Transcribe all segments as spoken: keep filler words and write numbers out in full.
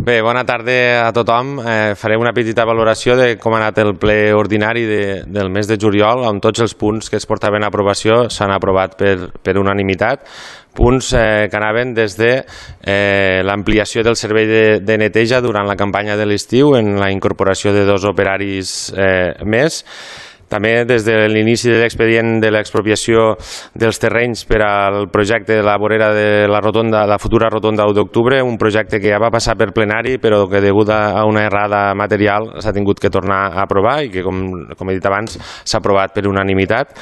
Bé, bona tarda a tothom. Eh, faré una petita valoració de com ha anat el ple ordinari de, del mes de juliol, on tots els punts que es portaven a aprovació s'han aprovat per, per unanimitat. Punts eh, que anaven des de eh, l'ampliació del servei de, de neteja durant la campanya de l'estiu en la incorporació de dos operaris eh, més. També des de l'inici de l'expedient de l'expropiació dels terrenys per al projecte de la vorera de la rotonda, la futura rotonda u d'octubre, un projecte que ja va passar per plenari però que degut a una errada material s'ha tingut que tornar a aprovar i que, com, com he dit abans, s'ha aprovat per unanimitat.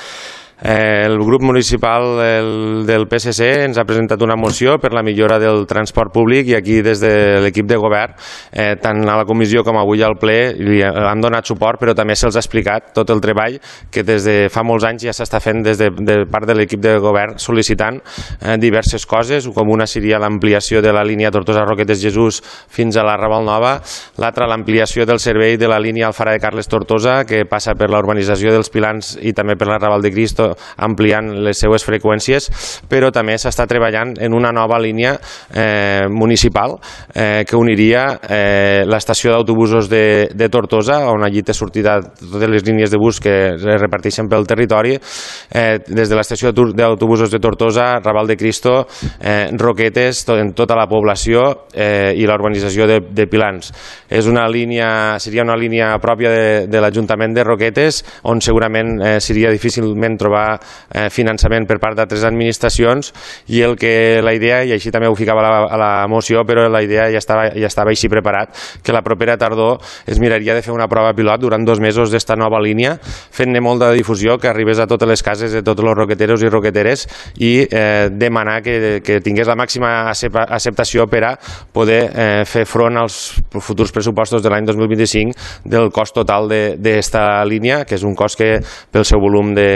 Eh, el grup municipal el, del P S C ens ha presentat una moció per la millora del transport públic i aquí des de l'equip de govern, eh, tant a la comissió com avui al ple, li han donat suport, però també se'ls ha explicat tot el treball que des de fa molts anys ja s'està fent des de, de part de l'equip de govern sol·licitant eh, diverses coses, com una seria l'ampliació de la línia Tortosa-Roquetes-Jesús fins a la Raval Nova, l'altra l'ampliació del servei de la línia Alfara de Carles-Tortosa que passa per la urbanització dels Pilans i també per la Raval de Cristo, ampliant les seues freqüències, però també s'està treballant en una nova línia eh, municipal eh, que uniria eh, l'estació d'autobusos de, de Tortosa, on allí té sortida totes les línies de bus que es reparteixen pel territori, eh, des de l'estació d'autobusos de Tortosa, Raval de Cristo, eh, Roquetes, tot, en tota la població eh, i la urbanització de, de Pilans. És una línia, seria una línia pròpia de, de l'Ajuntament de Roquetes, on segurament eh, seria difícilment trobar Eh, finançament per part d'altres administracions i el que la idea, i així també ho ficava a la, a la moció, però la idea ja estava, ja estava així preparat, que la propera tardor es miraria de fer una prova pilot durant dos mesos d'esta nova línia, fent-ne molta difusió, que arribés a totes les cases de tots els roqueteros i roqueteres i eh, demanar que, que tingués la màxima acceptació per a poder eh, fer front als futurs pressupostos de l'any dos mil vint-i-cinc del cost total d'esta línia, que és un cost que pel seu volum de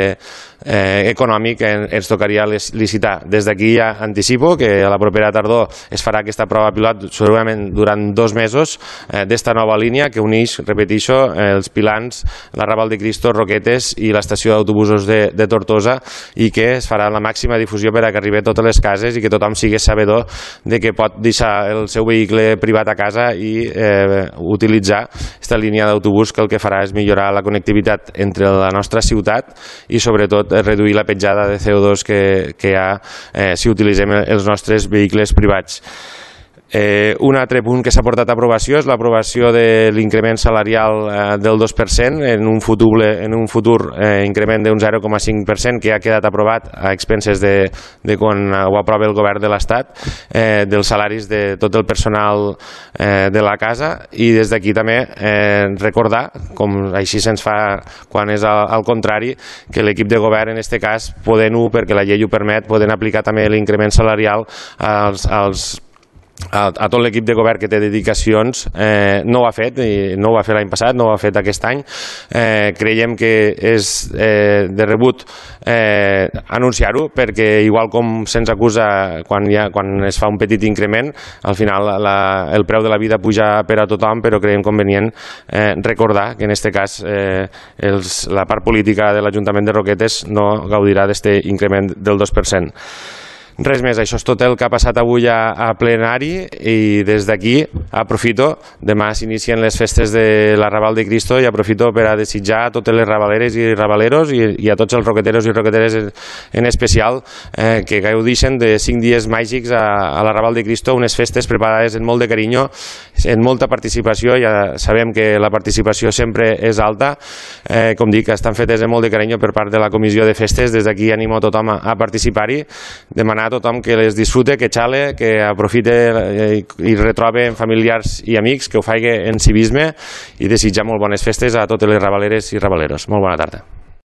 Eh, econòmic eh, ens tocaria licitar. Des d'aquí ja anticipo que a la propera tardor es farà aquesta prova pilot segurament durant dos mesos eh, d'esta nova línia que uneix, repeteixo, eh, els Pilans, la Raval de Cristo, Roquetes i l'estació d'autobusos de, de Tortosa i que es farà la màxima difusió per a que arribi a totes les cases i que tothom sigui sabedor de que pot deixar el seu vehicle privat a casa i eh, utilitzar aquesta línia d'autobús que el que farà és millorar la connectivitat entre la nostra ciutat i sobretot reduir la petjada de C O dos que, que hi ha eh, si utilitzem els nostres vehicles privats. Eh, un altre punt que s'ha portat a aprovació és l'aprovació de l'increment salarial eh, del dos per cent en un futur, en un futur eh, increment d'un zero coma cinc per cent que ha quedat aprovat a expenses de, de quan ho aprova el govern de l'Estat, eh, dels salaris de tot el personal eh, de la casa i des d'aquí també eh, recordar, com així se'ns fa quan és al, al contrari, que l'equip de govern en aquest cas podent-ho, perquè la llei ho permet, poden aplicar també l'increment salarial als, als a, a tot l'equip de govern que té dedicacions, eh, no ho ha fet, i no ho va fer l'any passat, no ho ha fet aquest any. Eh, creiem que és eh, de rebut eh, anunciar-ho, perquè igual com se'ns acusa quan, ha, quan es fa un petit increment, al final la, el preu de la vida puja per a tothom, però creiem convenient eh, recordar que en aquest cas eh, els, la part política de l'Ajuntament de Roquetes no gaudirà d'aquest increment del dos per cent. Res més, això és tot el que ha passat avui a, a plenari i des d'aquí aprofito, demà s'inicien les festes de la Raval de Cristo i aprofito per a desitjar a totes les rabaleres i rabaleros i, i a tots els roqueteros i roqueteres en, en especial eh, que gaudixen de cinc dies màgics a, a la Raval de Cristo, unes festes preparades en molt de carinyo, en molta participació, ja sabem que la participació sempre és alta, eh, com dic, estan fetes en molt de carinyo per part de la comissió de festes, des d'aquí animo a tothom a, a participar-hi, demanar a tothom que les disfrute, que xale, que aprofite i retrobe familiars i amics, que ho faci en civisme i desitjar molt bones festes a totes les rabaleres i rabaleros. Molt bona tarda.